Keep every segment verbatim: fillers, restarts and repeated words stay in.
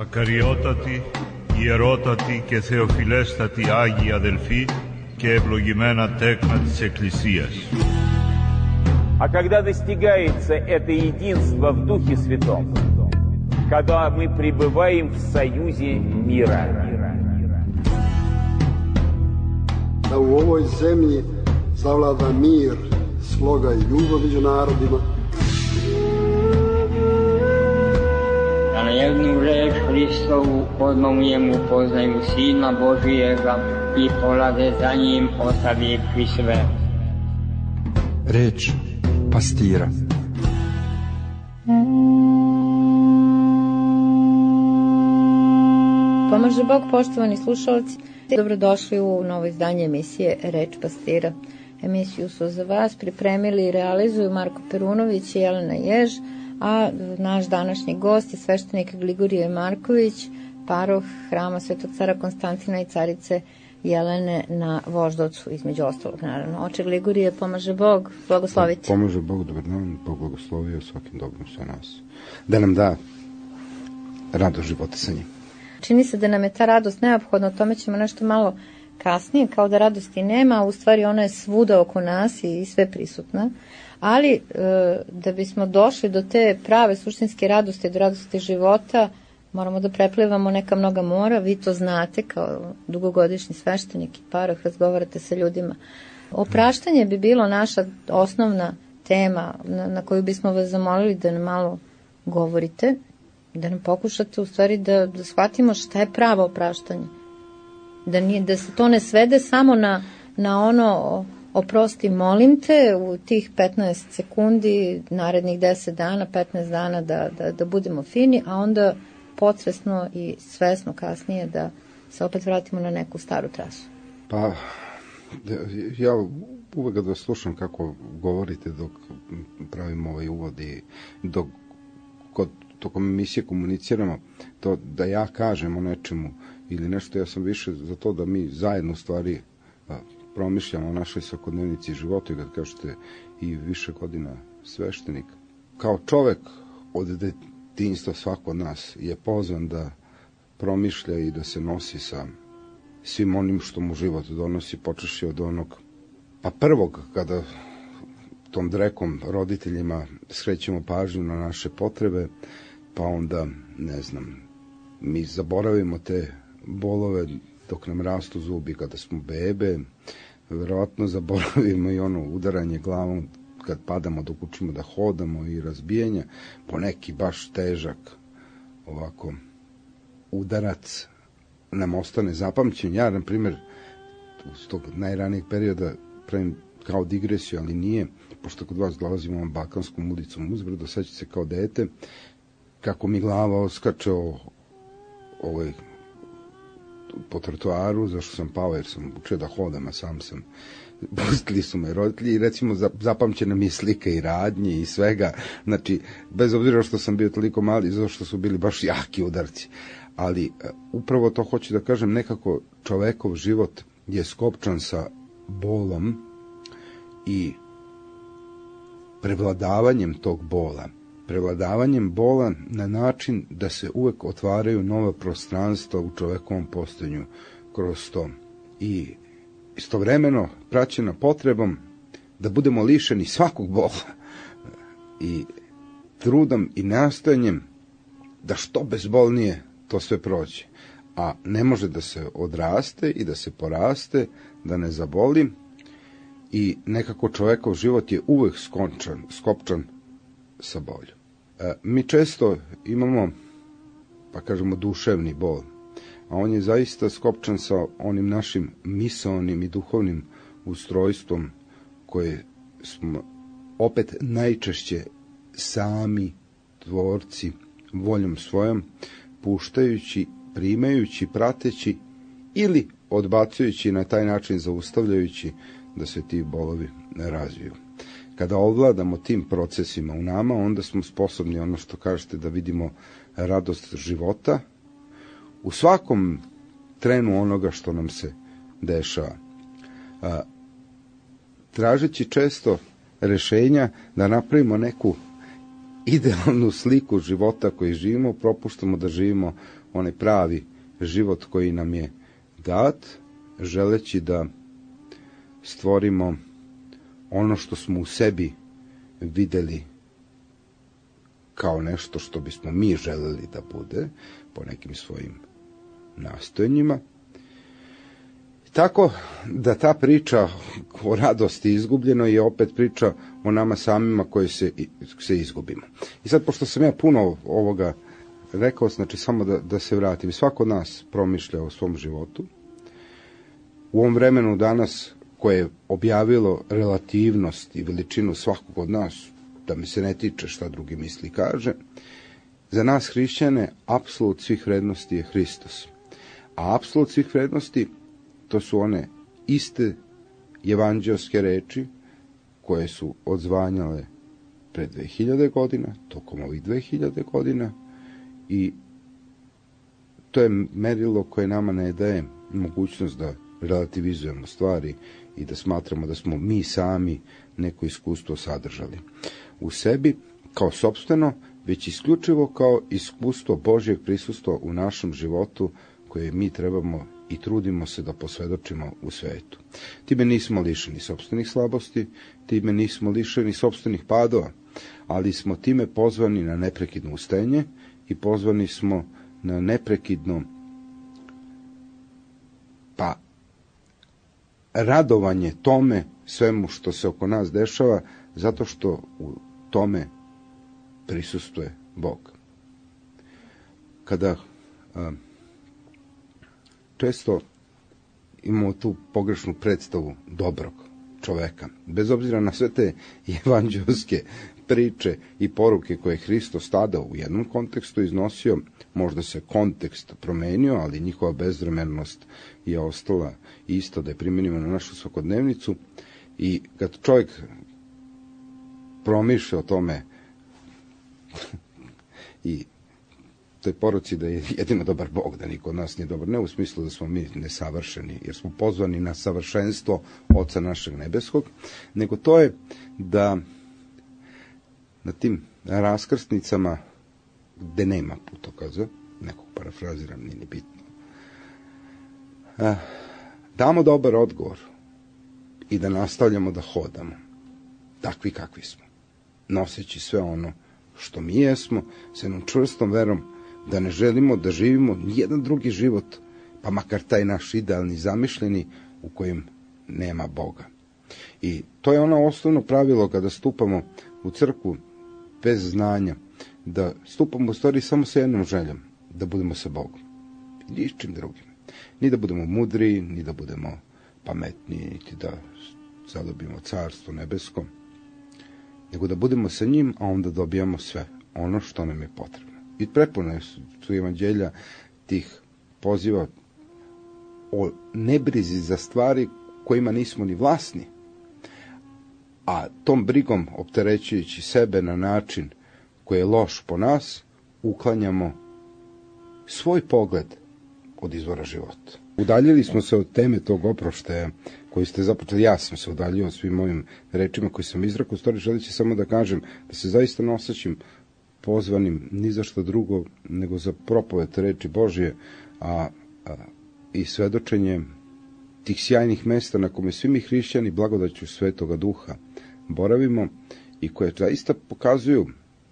Ακαριότατοι, ιερότατοι και θεοφιλέστατοι Άγιοι αδελφοί και ευλογημένα τέκνα της Εκκλησίας. А когда достигается это единство в Духе Святом, когда мы пребываем в союзе мира. Da u ovoj zemlji zavlada mir, sloga i ljubav među narodima. Da na jednu reč Hristovu odmah u njemu poznaju Sina Božijega i polade za njim ostavivši sve. Reč pastira. Pomaže Bog, poštovani slušalci. Dobrodošli u novo izdanje emisije Reč pastira. Emisiju su za vas pripremili i realizuju Marko Perunović i Jelena Jež, a naš današnji gost je sveštenik Gligorije Marković, paroh Hrama Svetog cara Konstantina i carice Jelene na Voždovcu, između ostalog, naravno. Oče Gligorije, pomaže Bog, blagosloviti. Pomaže Bog, dobar dan, Bog blagoslovio svakim dobrom sve nas. Da nam da radost života sa njim. Čini se da nam je ta radost neophodna, o tome ćemo nešto malo kasnije, kao da radosti nema, a u stvari ona je svuda oko nas i sve prisutna. Ali e, da bismo došli do te prave suštinske radosti, do radosti života, moramo da preplivamo neka mnoga mora. Vi to znate kao dugogodišnji sveštenik i paroh, razgovarate sa ljudima. Opraštanje bi bilo naša osnovna tema na, na koju bismo vas zamolili da nam malo govorite, da nam pokušate u stvari da, da shvatimo šta je pravo opraštanje. Da, nije, da se to ne svede samo na, na ono oprosti molim te u tih petnaest sekundi, narednih deset dana, petnaest dana da, da, da budemo fini, a onda podsvesno i svesno kasnije da se opet vratimo na neku staru trasu. Pa, ja uvek da slušam kako govorite dok pravim ovaj uvod i dok kod tokom emisije komuniciramo, to da ja kažem o nečemu ili nešto, ja sam više za to da mi zajedno u stvari promišljamo o našoj svakodnevnici životu i kad kažete i više godina sveštenik. Kao čovek od detinjstva svako od nas je pozvan da promišlja i da se nosi sa svim onim što mu život donosi, počeši od onog, pa prvog kada tom drekom roditeljima skrećemo pažnju na naše potrebe, pa onda, ne znam, mi zaboravimo te bolove dok nam rastu zubi kada smo bebe, verovatno zaboravimo i ono udaranje glavom kad padamo dok učimo da hodamo i razbijanja, po neki baš težak ovako udarac nam ostane zapamćen. Ja, na primjer, iz tog najranijeg perioda pravim kao digresiju, ali nije, pošto kod vas dolazimo ovom Balkanskom ulicom uzbrdo, sećate se kao dete, kako mi glava oskače o, ovaj, po trotoaru, zašto sam pao, jer sam učio da hodam, a sam sam, pustili su me roditelji i recimo zapamćena mi je slika i radnje i svega, znači, bez obzira što sam bio toliko mali, zato što su bili baš jaki udarci, ali upravo to hoću da kažem, nekako čovekov život je skopčan sa bolom i prevladavanjem tog bola. Prevladavanjem bola na način da se uvek otvaraju nova prostranstva u čovekovom postojanju kroz to. I istovremeno praćena potrebom da budemo lišeni svakog bola i trudom i nastojanjem da što bezbolnije to sve prođe. A ne može da se odraste i da se poraste, da ne zaboli i nekako čovekov život je uvek skončan, skopčan sa bolju. E, mi često imamo, pa kažemo, duševni bol, a on je zaista skopčan sa onim našim misaonim i duhovnim ustrojstvom koje smo opet najčešće sami tvorci voljom svojom, puštajući, primajući, prateći ili odbacujući, na taj način zaustavljajući da se ti bolovi ne razviju. Kada ovladamo tim procesima u nama, onda smo sposobni, ono što kažete, da vidimo radost života u svakom trenu onoga što nam se dešava. A, tražeći često rešenja da napravimo neku idealnu sliku života koji živimo, propuštamo da živimo onaj pravi život koji nam je dat, želeći da stvorimo ono što smo u sebi videli kao nešto što bismo mi želeli da bude po nekim svojim nastojanjima. Tako da ta priča o radosti izgubljenoj je opet priča o nama samima koji se, se izgubimo. I sad, pošto sam ja puno ovoga rekao, znači samo da, da se vratim. Svako od nas promišlja o svom životu. U ovom vremenu danas koje je objavilo relativnost i veličinu svakog od nas, da mi se ne tiče šta drugi misli kaže, za nas hrišćane apsolut svih vrednosti je Hristos. A apsolut svih vrednosti to su one iste evanđelske reči koje su odzvanjale pre dve hiljade godina, tokom ovih dve hiljade godina, i to je merilo koje nama ne daje mogućnost da relativizujemo stvari i da smatramo da smo mi sami neko iskustvo sadržali u sebi kao sopstveno, već isključivo kao iskustvo Božjeg prisustva u našem životu koje mi trebamo i trudimo se da posvedočimo u svetu. Time nismo lišeni sopstvenih slabosti, time nismo lišeni sopstvenih padova, ali smo time pozvani na neprekidno ustenje i pozvani smo na neprekidno pa radovanje tome svemu što se oko nas dešava, zato što u tome prisustuje Bog. Kada a, često imamo tu pogrešnu predstavu dobrog čoveka, bez obzira na sve te evanđelske priče i poruke koje je Hristos tada u jednom kontekstu iznosio, možda se kontekst promenio, ali njihova bezvremenost je ostala isto, da je primenimo na našu svakodnevnicu. I kad čovjek promišlja o tome i toj poruci da je jedino dobar Bog, da niko od nas nije dobar, ne u smislu da smo mi nesavršeni, jer smo pozvani na savršenstvo Oca našeg nebeskog, nego to je da na tim raskrsnicama gde nema putokaza, nekog parafraziram, nije ni bitno, damo dobar odgovor i da nastavljamo da hodamo takvi kakvi smo, noseći sve ono što mi jesmo, s jednom čvrstom verom da ne želimo da živimo nijedan drugi život, pa makar taj naš idealni zamišljeni u kojem nema Boga. I to je ono osnovno pravilo kada stupamo u crkvu bez znanja, da stupamo u stvari samo sa jednom željom, da budemo sa Bogom. I ničim drugim. Ni da budemo mudri, ni da budemo pametni, niti da zadobimo carstvo nebesko, nego da budemo sa njim, a onda dobijamo sve ono što nam je potrebno. I prepune su evanđelja tih poziva o nebrizi za stvari kojima nismo ni vlasni, a tom brigom opterećujući sebe na način koji je loš po nas, uklanjamo svoj pogled od izvora života. Udaljili smo se od teme tog oproštaja koji ste započeli. Ja sam se udaljio svim ovim rečima koji sam izrekao. U stvari želeći samo da kažem da se zaista ne osjećam pozvanim ni za što drugo nego za propoved reči Božje, a, a i svedočenje tih sjajnih mesta na kome svi mi hrišćani blagodaću Svetoga Duha boravimo i koje zaista pokazuju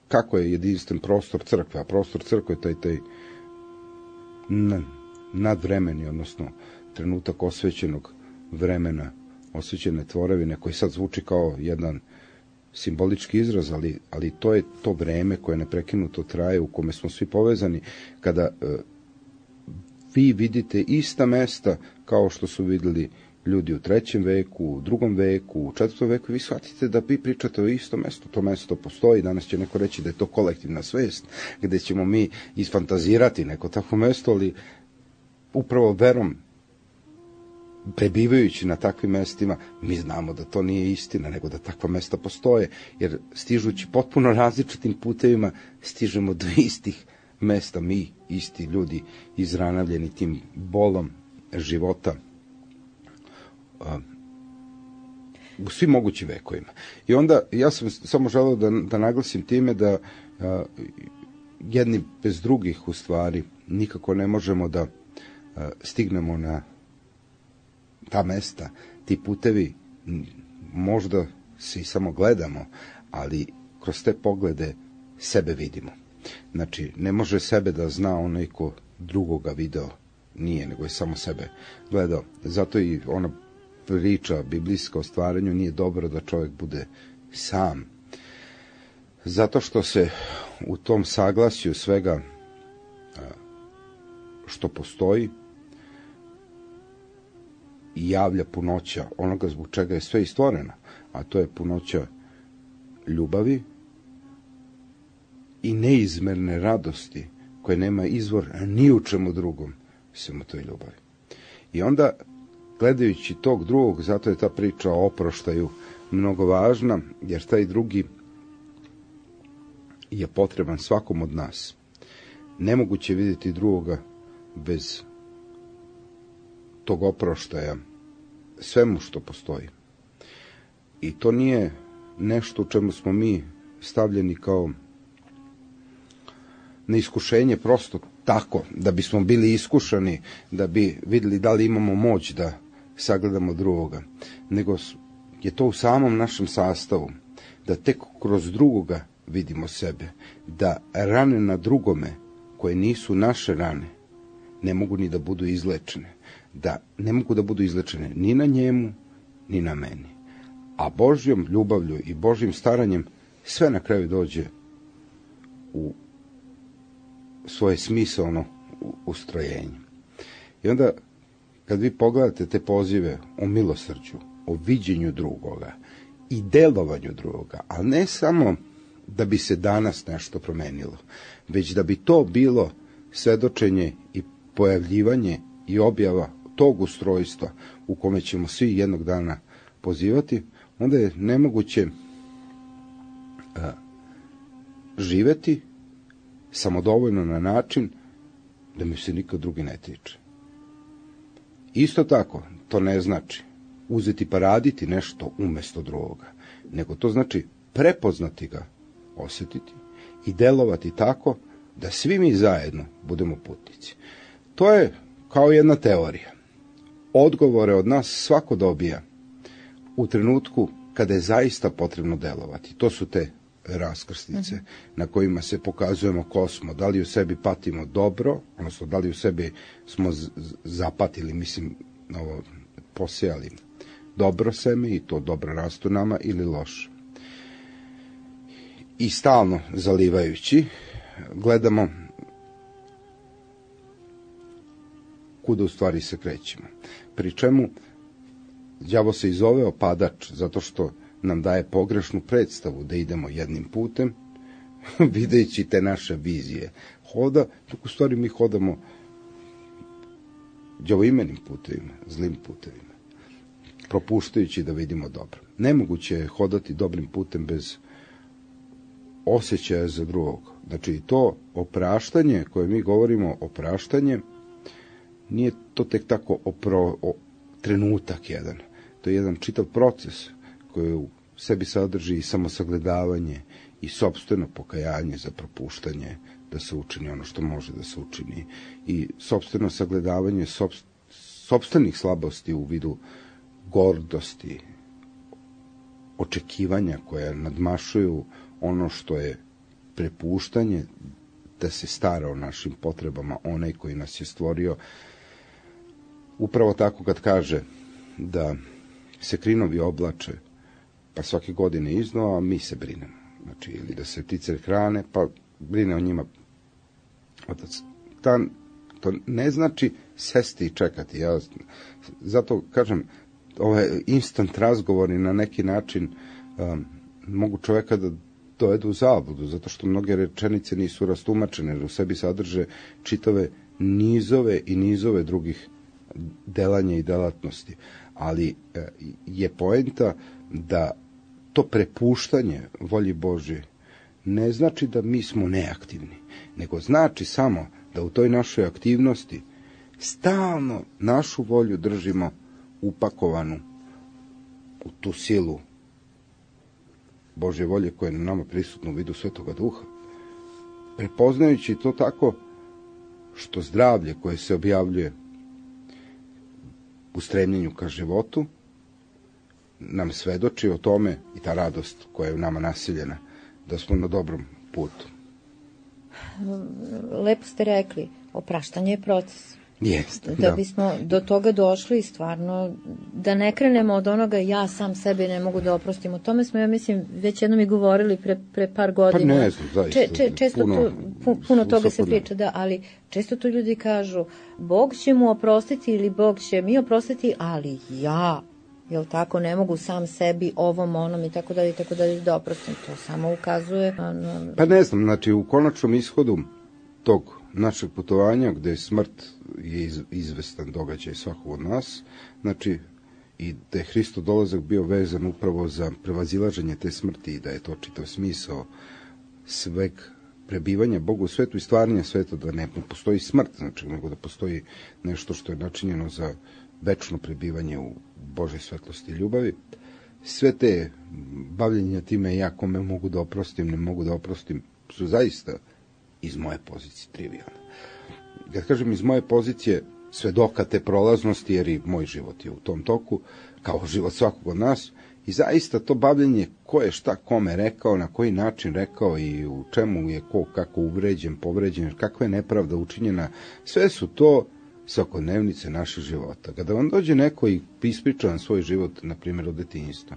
kako je jedinstven prostor crkve, a prostor crkve je taj, taj nadvremeni, odnosno trenutak osvećenog vremena, osvećene tvorevine, koji sad zvuči kao jedan simbolički izraz, ali, ali to je to vreme koje neprekinuto traje, u kome smo svi povezani, kada e, vi vidite ista mesta kao što su videli ljudi u trećem veku, u drugom veku, u četvrtom veku, vi shvatite da vi pričate o istom mestu. To mesto postoji, danas će neko reći da je to kolektivna svest, gde ćemo mi isfantazirati neko takvo mesto, ali upravo verom, prebivajući na takvim mestima, mi znamo da to nije istina, nego da takva mesta postoje, jer stižući potpuno različitim putevima, stižemo do istih mesta, mi, isti ljudi, izranavljeni tim bolom života. u svim mogućim vekovima. I onda ja sam samo želeo da, da naglasim time da a, jedni bez drugih u stvari nikako ne možemo da a, stignemo na ta mesta, ti putevi možda se i samo gledamo, ali kroz te poglede sebe vidimo. Znači, ne može sebe da zna onaj ko drugoga video nije, nego je samo sebe gledao. Zato i ona priča biblijska o stvaranju nije dobro da čovjek bude sam. Zato što se u tom saglasju svega što postoji javlja punoća onoga zbog čega je sve i stvoreno, a to je punoća ljubavi i neizmerne radosti koje nema izvor ni u čemu drugom sem u toj ljubavi. I onda, gledajući tog drugog, zato je ta priča o oproštaju mnogo važna, jer taj drugi je potreban svakom od nas. Nemoguće je vidjeti drugoga bez tog oproštaja svemu što postoji. I to nije nešto u čemu smo mi stavljeni kao na iskušenje prosto tako, da bismo bili iskušani, da bi vidjeli da li imamo moć da sagledamo drugoga, nego je to u samom našem sastavu, da tek kroz drugoga vidimo sebe, da rane na drugome, koje nisu naše rane, ne mogu ni da budu izlečene, da ne mogu da budu izlečene ni na njemu, ni na meni. A Božjom ljubavlju i Božjim staranjem sve na kraju dođe u svoje smisaono ustrojenje. I onda, kad vi pogledate te pozive o milosrđu, o viđenju drugoga i delovanju drugoga, ali ne samo da bi se danas nešto promenilo, već da bi to bilo svedočenje i pojavljivanje i objava tog ustrojstva u kome ćemo svi jednog dana pozivati, onda je nemoguće a, živeti samodovoljno na način da mi se niko drugi ne tiče. Isto tako, to ne znači uzeti pa raditi nešto umjesto drugoga, nego to znači prepoznati ga, osjetiti i delovati tako da svi mi zajedno budemo putnici. To je kao jedna teorija. Odgovore od nas svako dobija u trenutku kada je zaista potrebno delovati. To su te raskrsnice mm-hmm. na kojima se pokazujemo ko smo, da li u sebi patimo dobro, odnosno da li u sebi smo z- zapatili, mislim, ovo, posejali dobro seme i to dobro rastu nama ili loše. I stalno zalivajući gledamo kuda u stvari se krećemo. Pri čemu đavo se i zove opadač, zato što nam daje pogrešnu predstavu da idemo jednim putem, videći te naše vizije hoda, dok u stvari mi hodamo đavoimenim putevima, zlim putevima, propuštajući da vidimo dobro. Nemoguće je hodati dobrim putem bez osjećaja za drugog. Znači, to opraštanje koje mi govorimo, opraštanje, nije to tek tako opro, o, trenutak jedan. To je jedan čitav proces koji u sebi sadrži i samosagledavanje i sopstveno pokajanje za propuštanje, da se učini ono što može da se učini, i sopstveno sagledavanje sopstvenih slabosti u vidu gordosti, očekivanja koja nadmašuju ono što je prepuštanje da se stara o našim potrebama onaj koji nas je stvorio. Upravo tako kad kaže da se krinovi oblače pa svake godine iznova, a mi se brinemo. Znači, ili da se ptice hrane, pa brine o njima otac. Ta, to ne znači sesti i čekati. Ja zato kažem, ove instant razgovori na neki način um, mogu čoveka da dovedu u zabludu, zato što mnoge rečenice nisu rastumačene, jer u sebi sadrže čitave nizove i nizove drugih delanja i delatnosti. Ali e, je poenta da to prepuštanje volji Božje ne znači da mi smo neaktivni, nego znači samo da u toj našoj aktivnosti stalno našu volju držimo upakovanu u tu silu Božje volje koja je na nama prisutna u vidu Svetoga Duha, prepoznajući to tako što zdravlje koje se objavljuje u stremljenju ka životu nam svedoči o tome i ta radost koja je u nama nasiljena, da smo na dobrom putu. Lepo ste rekli, opraštanje je proces. Jeste, da. Da bismo do toga došli stvarno, da ne krenemo od onoga ja sam sebi ne mogu da oprostim. O tome smo, ja mislim, već jednom i govorili pre, pre par godina. Pa ne znam, zaista. Če, če, često puno, to, pu, puno toga se priča, da, ali često to ljudi kažu, Bog će mu oprostiti ili Bog će mi oprostiti, ali ja, jel tako, ne mogu sam sebi ovom, onom i tako dalje, i tako dalje da oprostim. To samo ukazuje na, na... Pa ne znam, znači u konačnom ishodu tog našeg putovanja, gde je smrt je iz, izvestan događaj svakog od nas, znači i da je Hristov dolazak bio vezan upravo za prevazilaženje te smrti i da je to čitav smisao sveg prebivanja Bogu u svetu i stvaranja sveta, da ne postoji smrt, znači, nego da postoji nešto što je načinjeno za večno prebivanje u Božoj svetlosti i ljubavi. Sve te bavljenja time ja kome mogu da oprostim, ne mogu da oprostim, su zaista iz moje pozicije trivijalne. Kad kažem iz moje pozicije svedoka te prolaznosti, jer i moj život je u tom toku, kao život svakog od nas, i zaista to bavljenje ko je šta kome rekao, na koji način rekao i u čemu je ko kako uvređen, povređen, kakva je nepravda učinjena, sve su to svakodnevnice naših života. Kada vam dođe neko i ispriča vam svoj život, na primjer od detinjstva,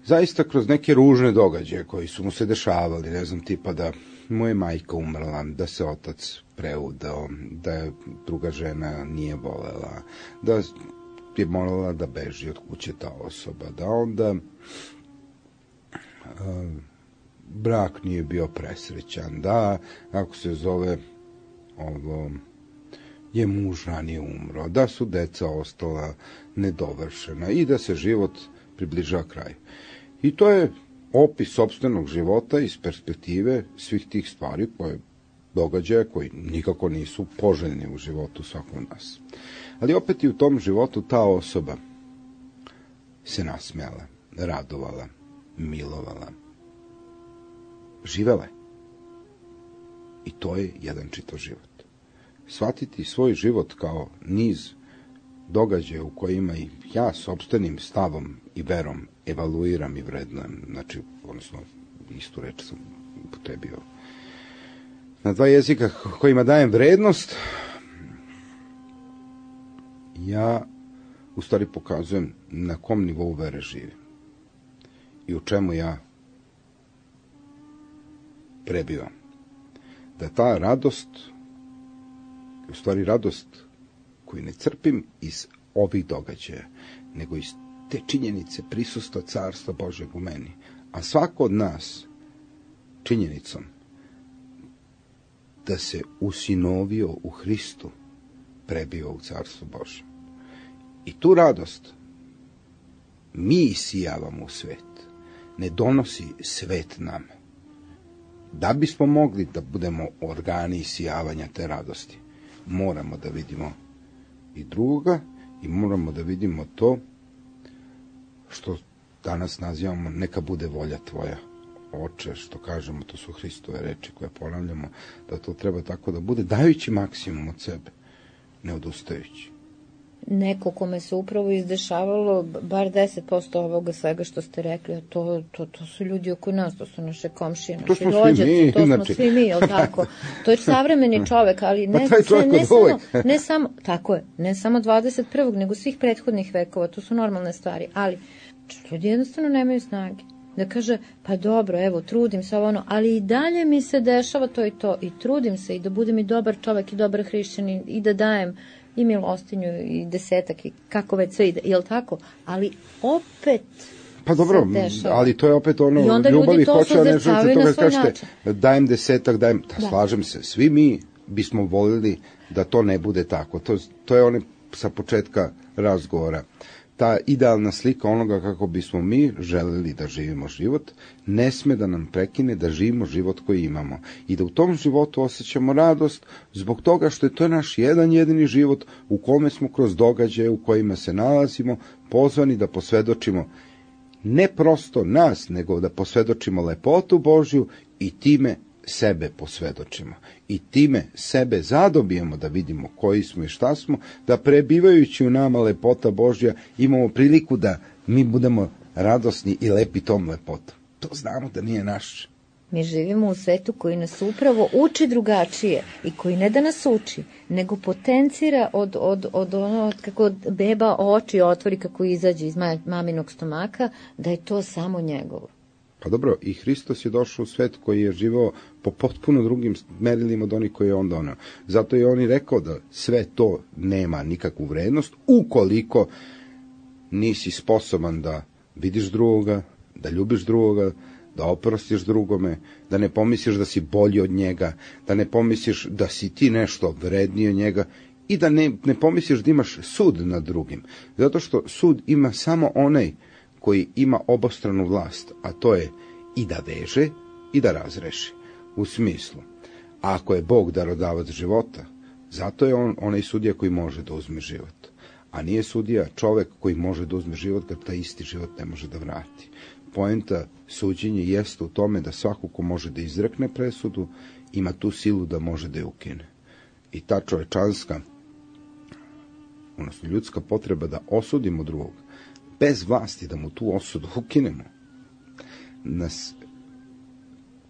zaista kroz neke ružne događaje koji su mu se dešavali, ne znam, tipa da mu je majka umrla, da se otac preudao, da je druga žena nije volela, da je morala da beži od kuće ta osoba, da onda a, brak nije bio presrećan, da, kako se zove, ovo, je muž ranije umro, da su deca ostala nedovršena i da se život približava kraju. I to je opis sopstvenog života iz perspektive svih tih stvari koje događaja koji nikako nisu poželjni u životu svakog nas. Ali opet i u tom životu ta osoba se nasmijala, radovala, milovala, živela je. I to je jedan čitav život. Shvatiti svoj život kao niz događaja u kojima i ja sopstvenim stavom i verom evaluiram i vrednujem, znači, odnosno, istu reč sam upotrebio na dva jezika kojima dajem vrednost, ja u stvari pokazujem na kom nivou vere živim i u čemu ja prebivam. Da ta radost, u stvari radost koju ne crpim iz ovih događaja, nego iz te činjenice prisustva Carstva Božjeg u meni. A svako od nas činjenicom da se usinovio u Hristu prebio u Carstvo Božje. I tu radost mi isijavamo u svet. Ne donosi svet nama. Da bismo mogli da budemo organi isijavanja te radosti, moramo da vidimo i drugoga i moramo da vidimo to što danas nazivamo neka bude volja tvoja, Oče, što kažemo, to su Hristove reči koje ponavljamo, da to treba tako da bude, dajući maksimum od sebe, ne odustajući. Neko kome se upravo izdešavalo bar deset posto ovoga svega što ste rekli, a to, to, to su ljudi oko nas, to su naše komšije, naši rođaci, to smo svi mi, jel tako? To je savremeni čovek, ali ne, ne, ne, samo, ne samo, tako je, ne samo dvadeset prvog nego svih prethodnih vekova, to su normalne stvari, ali ljudi jednostavno nemaju snage. Da kaže, pa dobro, evo, trudim se ovo ono, ali i dalje mi se dešava to i to, i trudim se i da budem i dobar čovek i dobar hrišćan i, i da dajem i milostinju i desetak i kako već sve ide, jel tako? Ali opet pa dobro, ali to je opet ono, ljubavi hoće, a ne želite toga kažete, dajem desetak, dajem, da, da, slažem se, svi mi bismo voljeli da to ne bude tako. To, to je ono sa početka razgovora. ta idealna slika onoga kako bismo mi želeli da živimo život, ne sme da nam prekine da živimo život koji imamo. I da u tom životu osjećamo radost zbog toga što je to naš jedan jedini život u kome smo kroz događaje u kojima se nalazimo pozvani da posvedočimo ne prosto nas, nego da posvedočimo lepotu Božju i time sebe posvedočimo. I time sebe zadobijemo da vidimo koji smo i šta smo, da prebivajući u nama lepota Božja imamo priliku da mi budemo radosni i lepi tom lepotom. To znamo da nije naše. Mi živimo u svetu koji nas upravo uči drugačije i koji ne da nas uči, nego potencira od, od, od ono kako beba oči otvori kako izađe iz maminog stomaka, da je to samo njegovo. Pa dobro, i Hristos je došao u svet koji je živao po potpuno drugim merilima od onih koji je on doneo. Zato je on i rekao da sve to nema nikakvu vrednost ukoliko nisi sposoban da vidiš drugoga, da ljubiš drugoga, da oprostiš drugome, da ne pomisliš da si bolji od njega, da ne pomisliš da si ti nešto vredniji od njega i da ne, ne pomisliš da imaš sud nad drugim. Zato što sud ima samo onaj koji ima obostranu vlast, a to je i da veže i da razreši. U smislu, ako je Bog darodavac života, zato je on onaj sudija koji može da uzme život. A nije sudija čovek koji može da uzme život kad taj isti život ne može da vrati. Poenta suđenja jeste u tome da svako ko može da izrekne presudu, ima tu silu da može da je ukine. I ta čovečanska, odnosno ljudska potreba da osudimo drugog, bez vlasti da mu tu osudu ukinemo, nas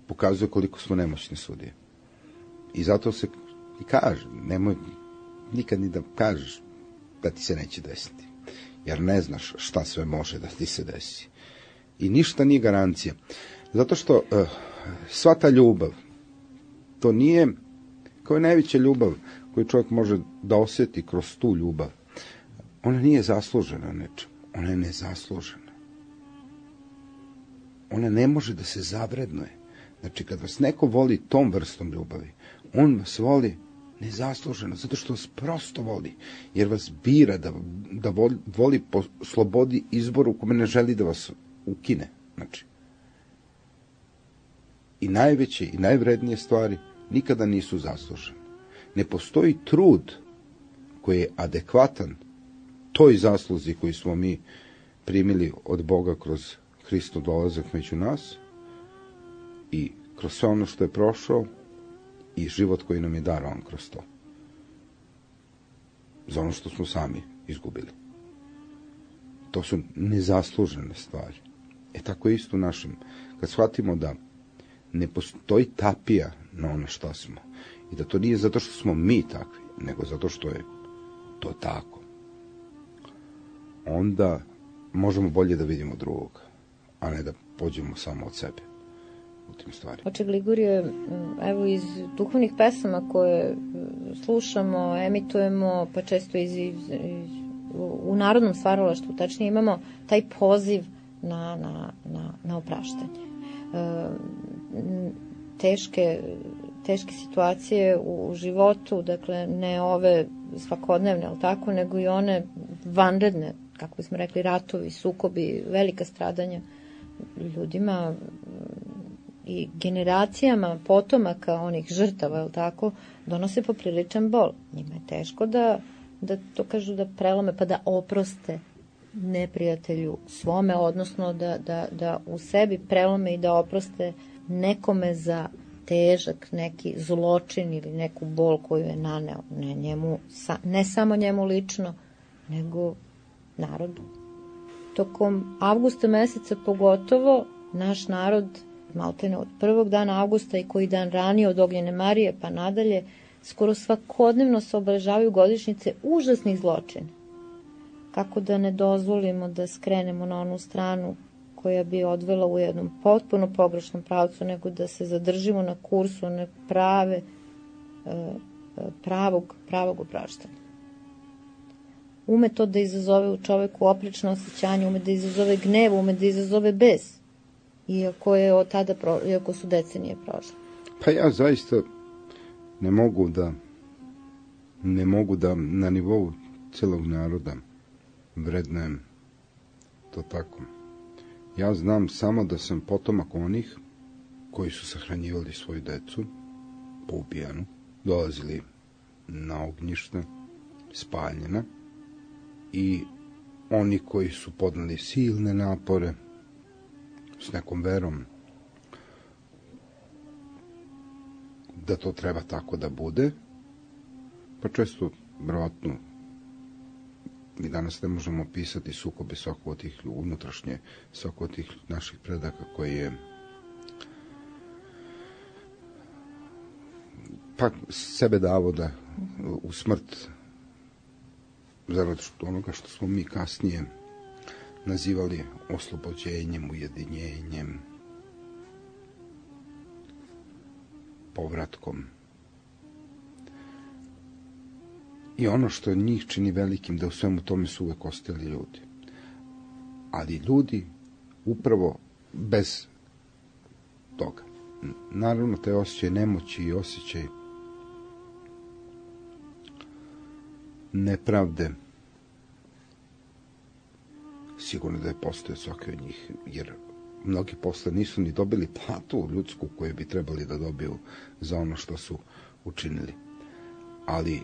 pokazuje koliko smo nemoćni sudije. I zato se i kaže, nemoj nikad ni da kažeš da ti se neće desiti, jer ne znaš šta sve može da ti se desi. I ništa nije garancija. Zato što uh, sva ta ljubav, to nije kao najveća ljubav koju čovjek može da osjeti kroz tu ljubav. Ona nije zaslužena nečem. Ona je nezaslužena. Ona ne može da se zavrednuje. Znači, kad vas neko voli tom vrstom ljubavi, on vas voli nezasluženo, zato što vas prosto voli, jer vas bira da, da voli, voli po slobodi izboru u kome ne želi da vas ukine. Znači, i najveće i najvrednije stvari nikada nisu zaslužene. Ne postoji trud koji je adekvatan toj zasluzi koju smo mi primili od Boga kroz Hristov dolazak među nas i kroz sve ono što je prošao i život koji nam je darovan kroz to. Za ono što smo sami izgubili. To su nezaslužene stvari. E tako isto u našem. Kad shvatimo da ne postoji tapija na ono što smo i da to nije zato što smo mi takvi, nego zato što je to tako, onda možemo bolje da vidimo drugog, a ne da pođemo samo od sebe u tim stvarima. Oče Gligorije, evo iz duhovnih pesama koje slušamo, emitujemo, pa često iz, iz, iz, u narodnom stvaralaštvu, tačnije imamo taj poziv na, na, na, na opraštanje. E, teške, teške situacije u životu, dakle ne ove svakodnevne, ali tako, nego i one vanredne, kako smo rekli, ratovi, sukobi, velika stradanja ljudima i generacijama potomaka onih žrtava, je tako, donose popriličan bol. Njima je teško da, da to kažu da prelome, pa da oproste neprijatelju svome, odnosno da, da, da u sebi prelome i da oproste nekome za težak neki zločin ili neku bol koju je naneo, ne, njemu, ne samo njemu lično, nego narodu. Tokom avgusta meseca pogotovo naš narod, maltene od prvog dana avgusta i koji dan ranije od Ognjene Marije pa nadalje, skoro svakodnevno se obeležavaju godišnjice užasnih zločina. Kako da ne dozvolimo da skrenemo na onu stranu koja bi odvela u jednom potpuno pogrešnom pravcu, nego da se zadržimo na kursu one prave, pravog, pravog opraštanja. Ume to da izazove u čoveku oprečno osjećanje, ume da izazove gnev, ume da izazove bes, iako je od tada, pro, iako su decenije prošle. Pa ja zaista ne mogu da ne mogu da na nivou celog naroda vrednujem to tako. Ja znam samo da sam potomak onih koji su sahranjivali svoju decu po ubijanu, dolazili na ognjišta, spaljena, i oni koji su podneli silne napore s nekom verom da to treba tako da bude, pa često, vjerojatno, mi danas ne možemo opisati sukobe svakog od tih unutrašnje, svakog od tih naših predaka koji je pa sebe davo da u smrt zarad onoga što smo mi kasnije nazivali oslobođenjem, ujedinjenjem, povratkom. I ono što njih čini velikim, da u svemu tome su uvek ostali ljudi. Ali ljudi upravo bez toga. Naravno, taj osjećaj nemoći i osjećaj nepravde sigurno da je postoje svaki od njih, jer mnogi posle nisu ni dobili platu ljudsku koju bi trebali da dobiju za ono što su učinili. Ali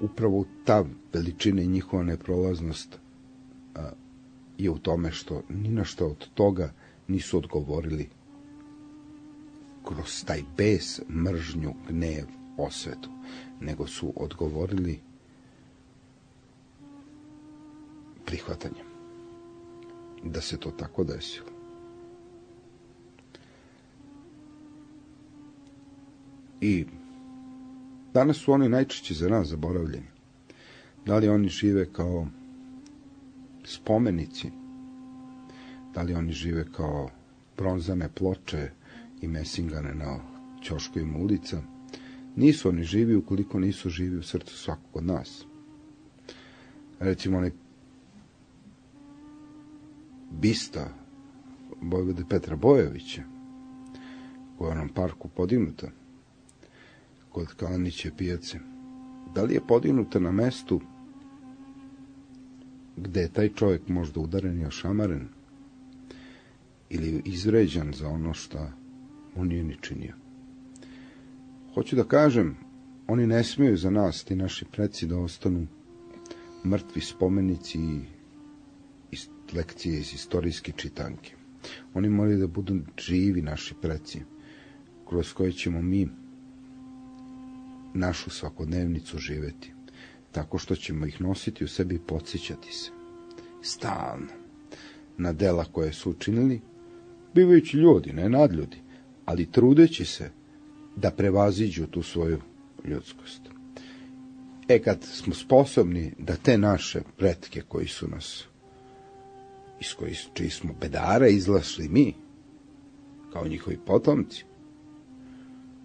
upravo ta veličina i njihova neprolaznost a, je u tome što ni na što od toga nisu odgovorili kroz taj bes, mržnju, gnev, osvetu, nego su odgovorili prihvatanjem da se to tako desilo. I danas su oni najčešće za nas zaboravljeni. Da li oni žive kao spomenici, da li oni žive kao bronzane ploče i mesingane na ćoškovima ulica, nisu oni živi ukoliko nisu živi u srcu svakog od nas. Recimo, onaj bista Vojvode Petra Bojovića, koja je u onom parku podignuta kod Kalaniće pijace, da li je podignuta na mestu gde je taj čovjek možda udaren i ošamaren ili izvređan za ono što on nije ni činio? Hoću da kažem, oni ne smiju za nas, ti naši preci, da ostanu mrtvi spomenici i lekcije iz istorijske čitanke. Oni moraju da budu živi naši preci, kroz koje ćemo mi našu svakodnevnicu živeti, tako što ćemo ih nositi u sebi i podsjećati se stalno na dela koje su učinili, bivajući ljudi, ne nadljudi, ali trudeći se da prevaziđu tu svoju ljudskost. E, kad smo sposobni da te naše pretke koji su nas, iz koji, čiji smo bedara izlašli mi, kao njihovi potomci,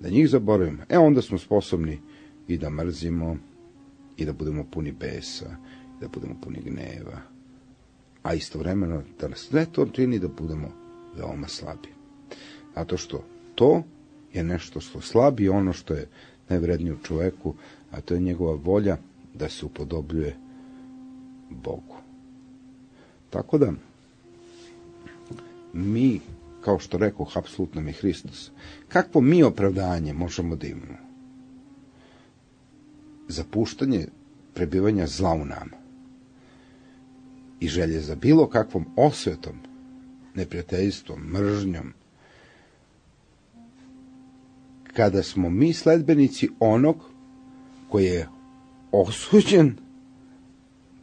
da njih zaboravimo, e onda smo sposobni i da mrzimo, i da budemo puni besa, i da budemo puni gneva, a istovremeno da nas sve to čini da budemo veoma slabi. Zato što to je nešto što slabi ono što je najvrednije u čoveku, a to je njegova volja da se upodobljuje Bogu. Tako da, mi, kao što rekoh, apsolutno mi Hristos, kakvo mi opravdanje možemo da imamo? Zapuštanje prebivanja zla u nama i želje za bilo kakvom osvetom, neprijateljstvom, mržnjom, kada smo mi sledbenici onog koji je osuđen,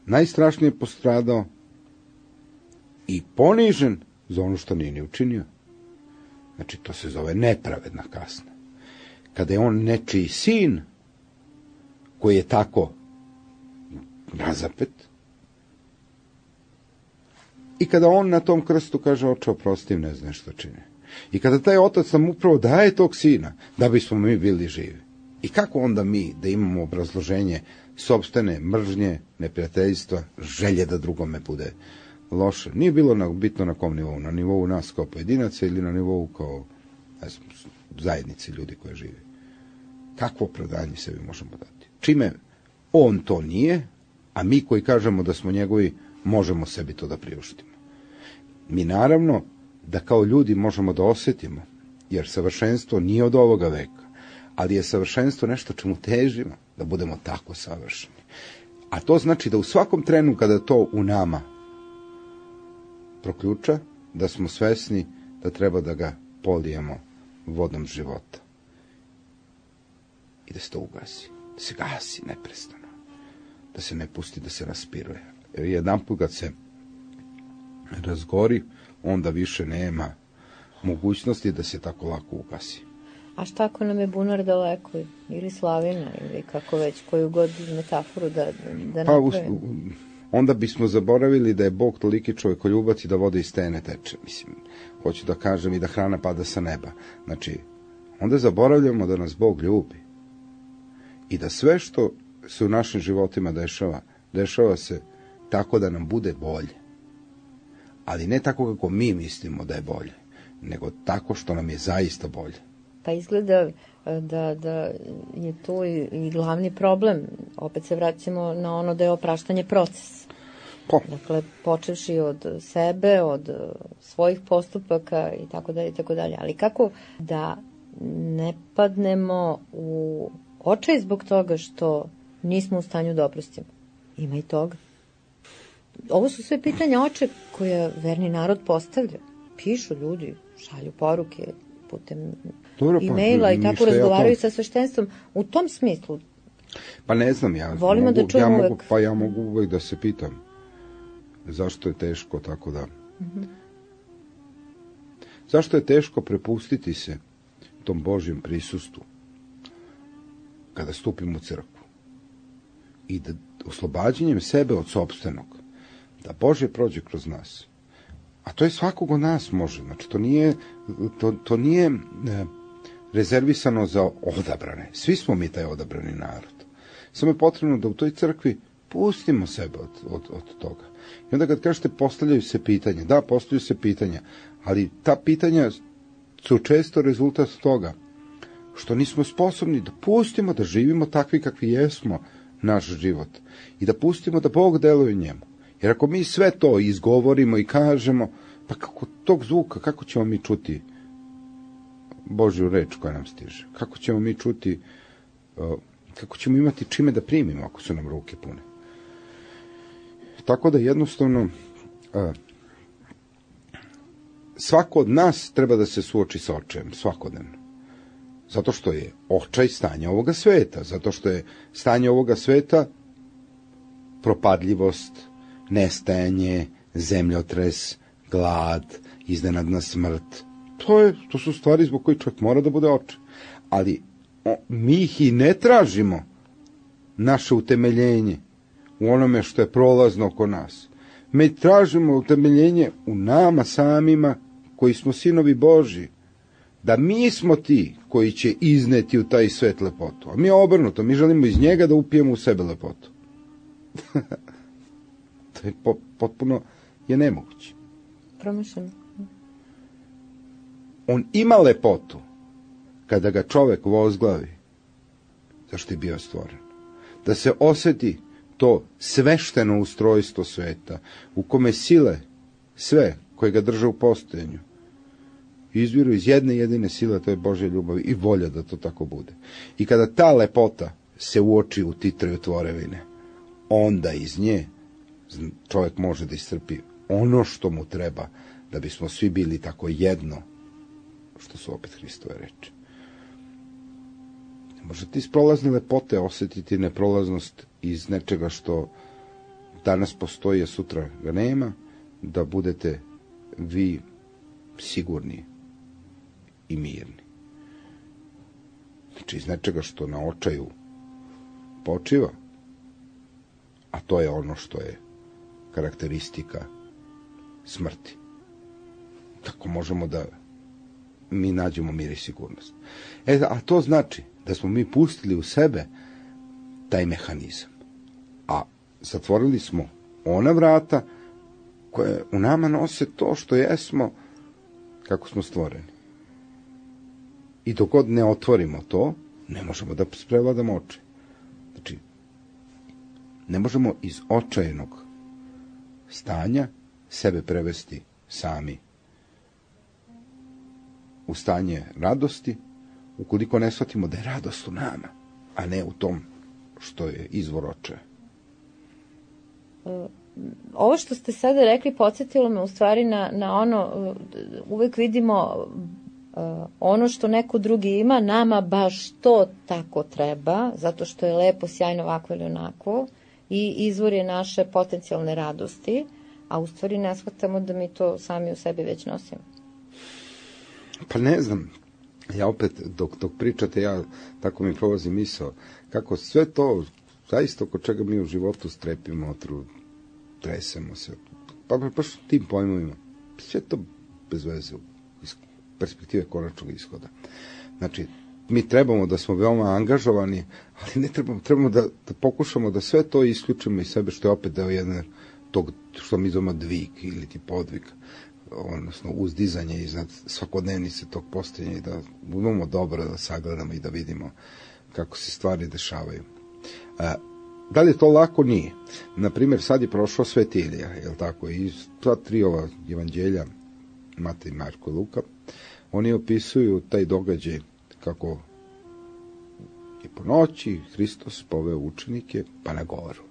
najstrašnije postradao i ponižen za ono što nije ni učinio. Znači, to se zove nepravedna kazna. Kada je on nečiji sin, koji je tako razapet, i kada on na tom krstu kaže: oče, oprosti, ne znaš što čini. I kada taj otac nam upravo daje tog sina, da bismo mi bili živi. I kako onda mi da imamo obrazloženje sopstvene mržnje, neprijateljstva, želje da drugome bude loše? Nije bilo na, bitno na kom nivou, na nivou nas kao pojedinaca ili na nivou kao, ne znam, zajednici ljudi koje žive. Kakvo opravdanje sebi možemo dati? Čime on to nije, a mi koji kažemo da smo njegovi, možemo sebi to da priuštimo. Mi naravno da kao ljudi možemo da osjetimo, jer savršenstvo nije od ovoga veka, ali je savršenstvo nešto čemu težimo, da budemo tako savršeni. A to znači da u svakom trenu kada to u nama proključa, da smo svesni da treba da ga polijemo vodom života. I da se to ugasi, da se gasi neprestano, da se ne pusti da se raspiruje. Jer jedan put kad se razgori, onda više nema mogućnosti da se tako lako ugasi. A šta ako nam je bunar daleko, ili slavina, ili kako već, koju god metaforu da, da pa, napravimo? Onda bismo zaboravili da je Bog toliki čovjekoljubac i da voda iz stene teče. Mislim, hoću da kažem i da hrana pada sa neba. Znači, onda zaboravljamo da nas Bog ljubi. I da sve što se u našim životima dešava, dešava se tako da nam bude bolje. Ali ne tako kako mi mislimo da je bolje, nego tako što nam je zaista bolje. Pa izgleda da, da je tu i, i glavni problem. Opet se vraćamo na ono da je opraštanje proces. Po. Dakle, počevši od sebe, od svojih postupaka i tako dalje i tako dalje. Ali kako da ne padnemo u očaj zbog toga što nismo u stanju da oprostimo? Ima i toga. Ovo su sve pitanja oče koje verni narod postavlja. Pišu ljudi, šalju poruke putem Dobro, pa, e-maila i tako razgovaraju ja to... sa sveštenstvom. U tom smislu. Pa ne znam, ja volimo mogu, da čujemo ja uvek. mogu, pa ja mogu uvek da se pitam zašto je teško tako da... Mm-hmm. Zašto je teško prepustiti se tom Božjem prisustvu kada stupimo u crkvu i da oslobađanjem sebe od sopstvenog, da Božje prođe kroz nas. A to je svakog od nas može. Znači, to nije, to, to nije e, rezervisano za odabrane. Svi smo mi taj odabrani narod. Samo je potrebno da u toj crkvi pustimo sebe od, od, od toga. I onda kad kažete postavljaju se pitanja, da, postavljaju se pitanja, ali ta pitanja su često rezultat toga što nismo sposobni da pustimo da živimo takvi kakvi jesmo naš život i da pustimo da Bog deluje u njemu. Jer ako mi sve to izgovorimo i kažemo, pa kako tog zvuka, kako ćemo mi čuti Božju reč koja nam stiže? Kako ćemo mi čuti, kako ćemo imati čime da primimo ako su nam ruke pune? Tako da jednostavno svako od nas treba da se suoči sa očajem, svakodnevno. Zato što je očaj stanje ovoga sveta, zato što je stanje ovoga sveta propadljivost, nestajanje, zemljotres, glad, iznenadna smrt. To, je, to su stvari zbog kojih čovjek mora da bude očaj. Ali o, mi ih i ne tražimo naše utemeljenje u onome što je prolazno oko nas. Mi tražimo utemeljenje u nama samima koji smo sinovi Božji. Da mi smo ti koji će izneti u taj svet lepotu. A mi je obrnuto, mi želimo iz njega da upijemo u sebe lepotu. To je po, potpuno je nemoguće. Promišljeno. On ima lepotu kada ga čovek vozglavi zašto je bio stvoren. Da se osjeti to svešteno ustrojstvo sveta u kome sile sve koje ga drže u postojanju izviru iz jedne jedine sile, to je Božja ljubav i volja da to tako bude. I kada ta lepota se uoči u titraju tvorevine, onda iz nje čovjek može da iscrpi ono što mu treba da bismo svi bili tako jedno, što su opet Hristove reči. Možete iz prolazne lepote osjetiti neprolaznost iz nečega što danas postoji, a sutra ga nema, da budete vi sigurni i mirni. Znači iz nečega što na očaju počiva, a to je ono što je karakteristika smrti. Tako možemo da mi nađemo mir i sigurnost. E, a to znači da smo mi pustili u sebe taj mehanizam. A zatvorili smo ona vrata koje u nama nose to što jesmo kako smo stvoreni. I dok god ne otvorimo to, ne možemo da prevladamo očaj. Znači, ne možemo iz očajnog stanja sebe prevesti sami u stanje radosti, ukoliko ne shvatimo da je radost u nama, a ne u tom što je izvor očaja. Ovo što ste sada rekli podsjetilo me u stvari na, na ono, uvek vidimo ono što neko drugi ima, nama baš to tako treba, zato što je lepo, sjajno, ovako ili onako, i izvor je naše potencijalne radosti, a u stvari ne shvatamo da mi to sami u sebi već nosimo. Pa ne znam, ja opet, dok, dok pričate, ja tako mi prolazi misao, kako sve to, zaista oko čega mi u životu strepimo, otru, tresemo se, pa baš tim pojmovima, sve to bez veze, iz perspektive konačnog ishoda. Znači, mi trebamo da smo veoma angažovani, ali ne trebamo, trebamo da, da pokušamo da sve to isključimo iz sebe, što je opet deo jedne tog, što mi zovemo dvig ili ti podvig, odnosno uzdizanje iznad svakodnevnice tog postojanja i da imamo dobro da sagledamo i da vidimo kako se stvari dešavaju. A, da li je to lako? Nije. Naprimjer, sad je prošao Sveti Ilija, je li tako? I sva tri ova evanđelja, Matej, Marko i Luka, oni opisuju taj događaj kako je po noći Hristos poveo učenike pa na goru.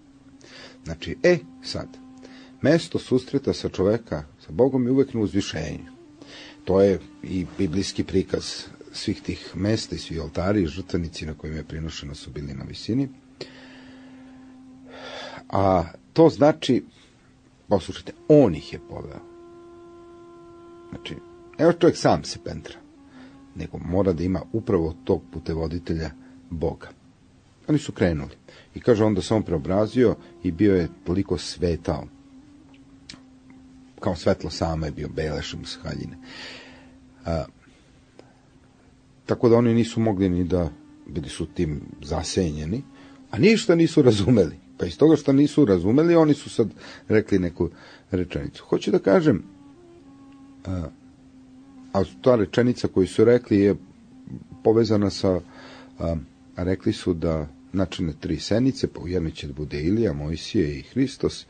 Znači, e, sad, mesto susreta sa čoveka, sa Bogom je uvek na uzvišenju. To je i biblijski prikaz svih tih mesta i svi oltari i žrtvenici na kojima je prinošeno su bili na visini. A to znači, poslušajte, on ih je poveo. Znači, evo čovjek sam se pentra, nego mora da ima upravo tog putevoditelja Boga. Oni su krenuli. I kaže on da se on preobrazio i bio je toliko svetao. Kao svetlo samo je bio, belešom iz haljine. A, tako da oni nisu mogli ni da, bili su tim zasenjeni, a ništa nisu razumeli. Pa iz toga što nisu razumeli, oni su sad rekli neku rečenicu. Hoću da kažem, a, a ta rečenica koju su rekli je povezana sa, a, a rekli su da načine tri senice, pa u jednoj će da bude Ilija, Mojsije i Hristos,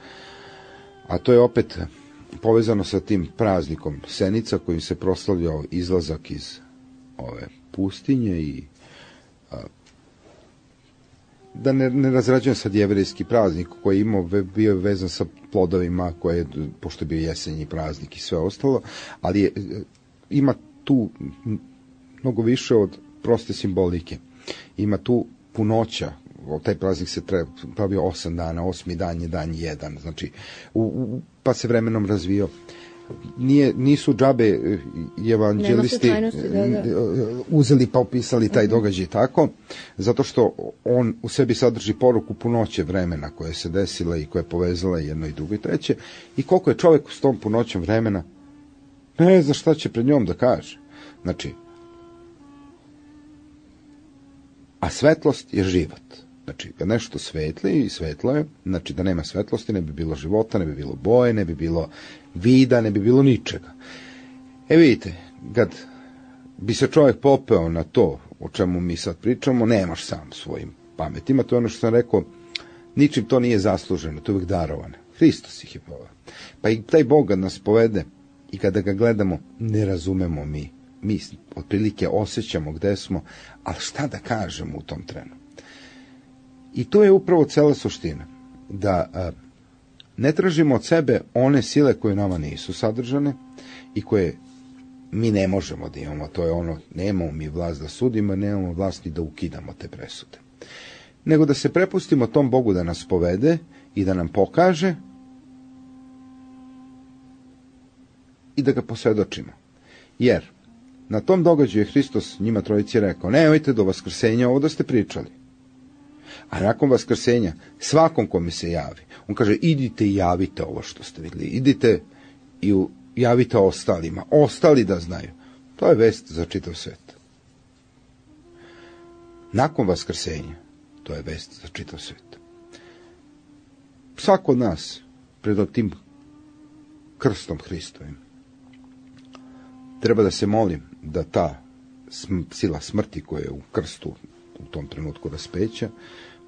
a to je opet povezano sa tim praznikom senica kojim se proslavljao izlazak iz ove pustinje i a, da ne, ne razrađujem sad jevrejski praznik koji je imao, bio je vezan sa plodovima, koje, pošto je bio jesenji praznik i sve ostalo, ali je, ima tu mnogo više od proste simbolike. Ima tu punoća, taj praznik se pravio osam dana, osmi dan je dan jedan, znači, u, u, pa se vremenom razvio. Nije, nisu džabe evanđelisti da, da. uzeli pa opisali taj događaj tako, zato što on u sebi sadrži poruku punoće vremena koje se desila i koje je povezala jedno i drugo i treće, i koliko je čovjek s tom punoćom vremena ne zna šta će pred njom da kaže. Znači, a svetlost je život. Znači, kad nešto svetli i svetlo je, znači da nema svetlosti, ne bi bilo života, ne bi bilo boje, ne bi bilo vida, ne bi bilo ničega. E vidite, kad bi se čovjek popeo na to o čemu mi sad pričamo, nemaš sam svojim pametima, to je ono što sam rekao, ničim to nije zasluženo, to je uvijek darovano. Hristos ih je poveo. Pa i taj Bog kad nas povede i kada ga gledamo, ne razumemo mi. Mi otprilike osjećamo gde smo, ali šta da kažemo u tom trenu? I to je upravo cela suština, da a, ne tražimo od sebe one sile koje nama nisu sadržane i koje mi ne možemo da imamo. To je ono, nemamo mi vlast da sudimo, nemamo vlast ni da ukidamo te presude. Nego da se prepustimo tom Bogu da nas povede i da nam pokaže i da ga posvjedočimo. Jer na tom događaju je Hristos njima trojici rekao, nemojte do vaskrsenja ovo da ste pričali. A nakon vaskrsenja, svakom kome se javi, on kaže, idite i javite ovo što ste vidjeli, idite i javite ostalima, ostali da znaju. To je vest za čitav svet. Nakon vaskrsenja, to je vest za čitav svet. Svako od nas, pred tim krstom Hristovim, treba da se molim da ta sila smrti koja je u krstu u tom trenutku raspeća,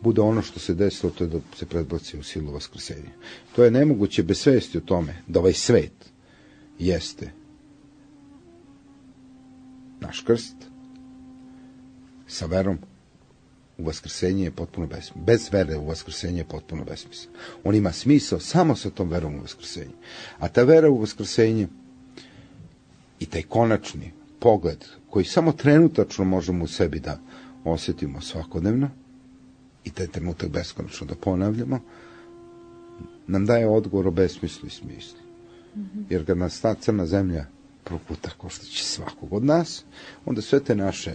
bude ono što se desilo, to je da se predbaci u silu vaskrsenja. To je nemoguće bez svesti o tome da ovaj svet jeste naš krst, sa verom u vaskrsenje je potpuno besmislen. Bez vere u vaskrsenje je potpuno besmislen. On ima smisao samo sa tom verom u vaskrsenje. A ta vera u vaskrsenje i taj konačni pogled koji samo trenutačno možemo u sebi da osjetimo svakodnevno i taj trenutak beskonačno da ponavljamo, nam daje odgovor o besmislu i smislu. Jer kad nas ta crna zemlja proputa ko što će svakog od nas, onda sve te naše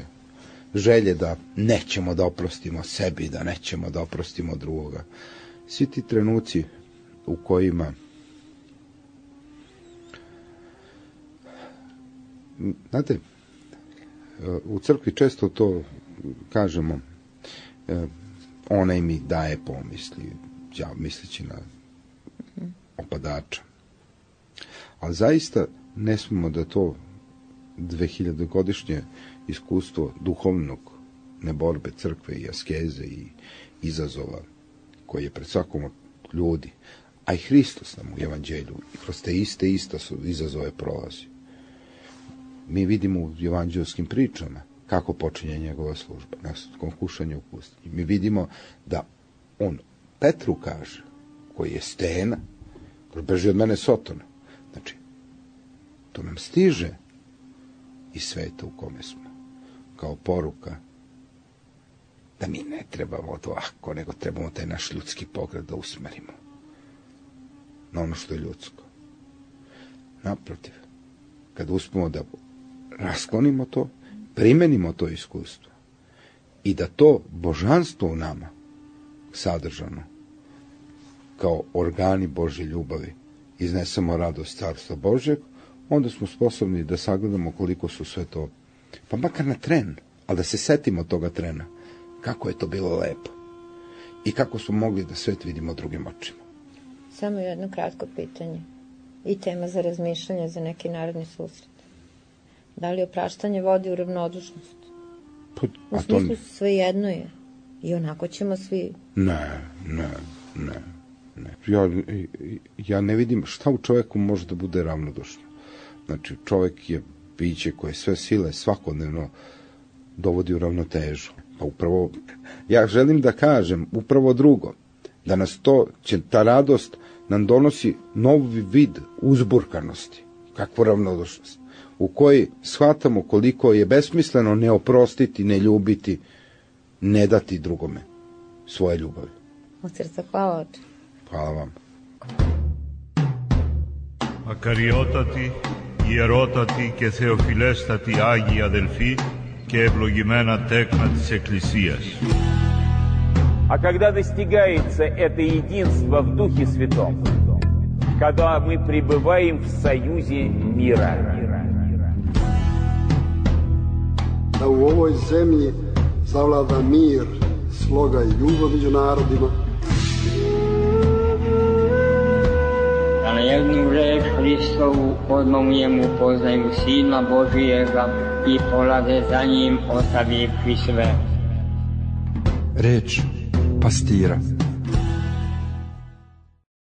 želje da nećemo da oprostimo sebi, da nećemo da oprostimo drugoga, svi ti trenuci u kojima znate, u crkvi često to kažemo, onaj mi daje pomisli, ja misleći na opadača. Ali zaista ne smemo da to dvehiljadogodišnje iskustvo duhovnog neborbe crkve i askeze i izazova koji je pred svakom od ljudi, a i Hristos nam u evanđelju kroz te iste ista su izazove prolazi. Mi vidimo u evanđelskim pričama kako počinje njegova služba, na kušanju u pustinji. Mi vidimo da on Petru kaže, koji je stena, beži od mene Sotona. Znači, to nam stiže iz sveta u kome smo, kao poruka da mi ne trebamo to ako, nego trebamo taj naš ljudski pogled da usmerimo na ono što je ljudsko. Naprotiv, kad uspemo da rasklonimo to, primenimo to iskustvo i da to božanstvo u nama sadržano kao organi Božje ljubavi iznesemo radost Carstva Božjeg, onda smo sposobni da sagledamo koliko su sve to, pa makar na tren, ali da se setimo toga trena, kako je to bilo lepo i kako smo mogli da svet vidimo drugim očima. Samo jedno kratko pitanje i tema za razmišljanje za neki naredni susret. Da li opraštanje vodi u ravnodušnost? Pa, u smislu to... svejedno je. I onako ćemo svi... Ne, ne, ne. ne. Ja, ja ne vidim šta u čoveku može da bude ravnodušno. Znači, čovek je biće koje sve sile svakodnevno dovodi u ravnotežu. Pa upravo, ja želim da kažem upravo drugo, da nas to, će ta radost nam donosi novi vid uzburkanosti, kakvu ravnodušnost, u kojoj shvatamo koliko je besmisleno ne oprostiti, ne ljubiti, ne dati drugome svoje ljubavi. Od srca hvala, oče. Hvala vam. Ακαριότατοι, ιερότατοι και θεοφιλέστατοι Άγιοι αδελφοί και ευλογημένα τέκνα της Εκκλησίας. А когда достигается это единство в Духе Святом, когда мы пребываем в союзе мира. Da u ovoj zemlji zavlada mir, sloga i ljubav među narodima. Da na jednu reč Hristovu odmah u njemu poznaju Sina Božijega i polade za njim ostavivši sve. Reč pastira.